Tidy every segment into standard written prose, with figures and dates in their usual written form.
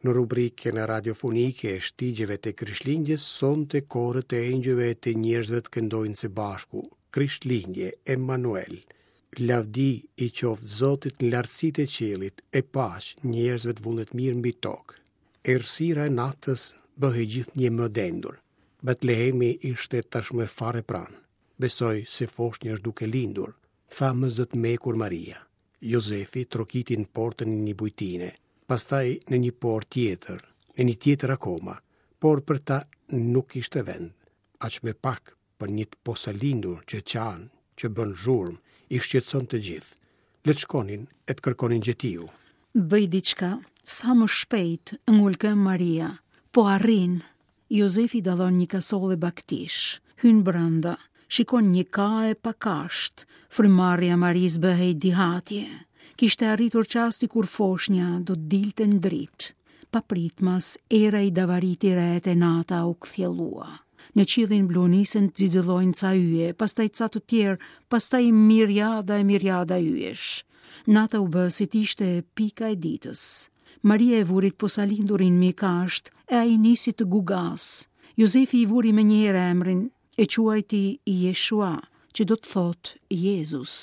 Në rubrikën radiofonike e shtigjeve të Krishtlindjes, sonte koret e engjëjve e të njerëzve të këndojnë së bashku, Krishtlindje, Emanuel. Lavdi i qoftë Zotit në lartësitë e qiellit, e paqe njerëzve të vullnetmirë mbi tokë. Errësira e natës bëhej gjithnjë më e dendur. Betlehemi ishte tashmë fare pranë. Besoj se foshnja është duke lindur, tha me zë të mekur Maria. Jozefi trokiti në portën e një bujtine, pastaj në një portë tjetër, në një tjetër akoma, por për ta nuk kishte vend, aq më pak për një të posalindur që qan, që bën zhurmë, i shqetëson të gjithë. Le të shkonin e të kërkonin gjetiu. Bëj diçka, sa më shpejt, ngul këmbë Maria. Po arrin. Jozefi dallon një kasolle bagëtish, hyn brenda, shikon një kae pa kashtë, frymëmarrja e Marisë bëhej dihatje. Kishte arritur çasti kur foshnja do të dilte në dritë. Papritmas, era i davariti retë e nata u kthjellua. Në qiellin blu nisën të xixëllojnë ca yje, pastaj ca të tjerë, pastaj miriada e miriada yjesh. Nata u bë si të ishte pika e ditës. Maria e vuri të posalindurin mbi kashtë e ai nisi të gugasë. Jozefi i vuri menjëherë emrin, e quajti Jeshua, që do të thotë Jezus.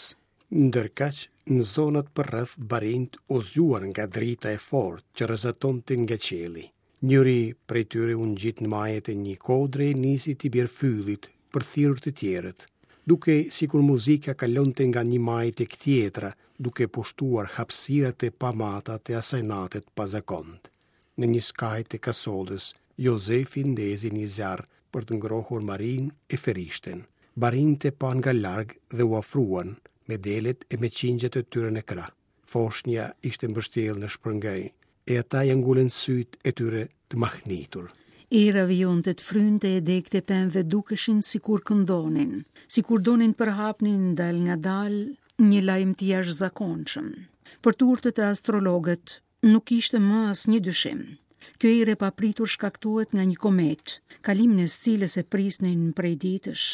Ndërkaq, në zonat përreth barinjtë u zgjuan nga drita e fortë që rrezatonte nga qielli. Njëri prej tyre u ngjit në maje të një kodre e nisi t'i bjerë fyllit për të thirrur të tjerët. Dukej sikur muzika kalonte nga një majë tek tjetra, duke pushtuar hapësirat e pamata të asaj nate të pazakontë. Në një skaj të kasollës, Jozefi ndezi një zjarr për të ngrohur Marinë e Ferishten. Barinjtë e panë nga larg dhe u afruan, me delet e me qingjat e tyre në krah. Foshnja ishte mbështjellë në shpërngaj, e ata ia ngulën sytë e tyre të mahnitur. Era vijonte të frynte e degët e pemëve dukeshin sikur këndonin, sikur donin të përhapnin dalëngadalë një lajm të jashtëzakonshëm. Për të urtët e astrologët nuk kishte më asnjë dyshim. Kjo erë e papritur shkaktohet nga një kometë, kalimin e së cilës e prisnin prej ditësh.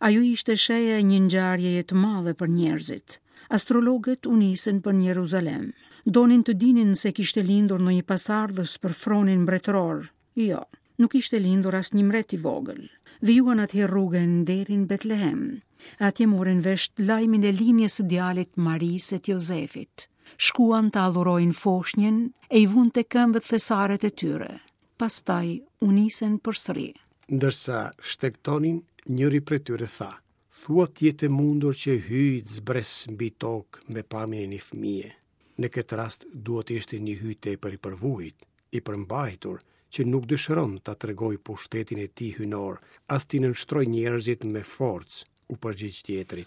Ajo ishte shenja e një ngjarjeje të madhe për njerëzit. Astrologët u nisën për në Jeruzalem. Donin të dinin se kishte lindur ndonjë pasardhës për fronin mbretëror. Jo, nuk ishte lindur asnjë mbret i vogël. Vijuan atëherë rrugën deri në Betlehem. Atje morën vesh lajmin e lindjes së djalit Marisë e të Jozefit. Shkuan ta adhurojnë foshnjën e i vunë te këmbët thesaret e tyre. Pastaj u nisën përsëri. Ndërsa shtegtonin, njëri prej tyre tha, Thua të jetë e mundur që Hyji të zbresë mbi tokë me pamjen e një fëmije. Në këtë rast duhet të ishte një Hyj tepër i përvujt, i përmbajtur, që nuk dëshiron ta tregojë pushtetin e tij hyjnor, as t'i nënshtrojë njerëzit me forcë, u përgjigj tjetri.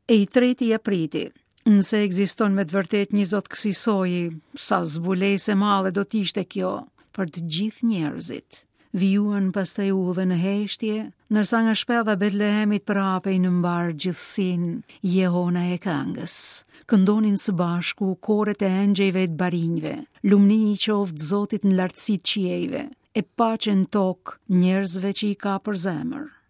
E i treti ia priti, nëse ekziston me të vërtetë një zot kësi soji, sa zbulesë e madhe do të ishte kjo për të gjithë njerëzit. Vijuan pastaj udhën në heshtje, ndërsa nga shpella e Betlehemit përhapej në mbarë gjithësinë jehona e këngës. Këndonin së bashku koret e engjëjve e të barinjve, lumni i qoftë Zotit në lartësitë e qiejve, e paqe në tokë njerëzve që i ka për zemër.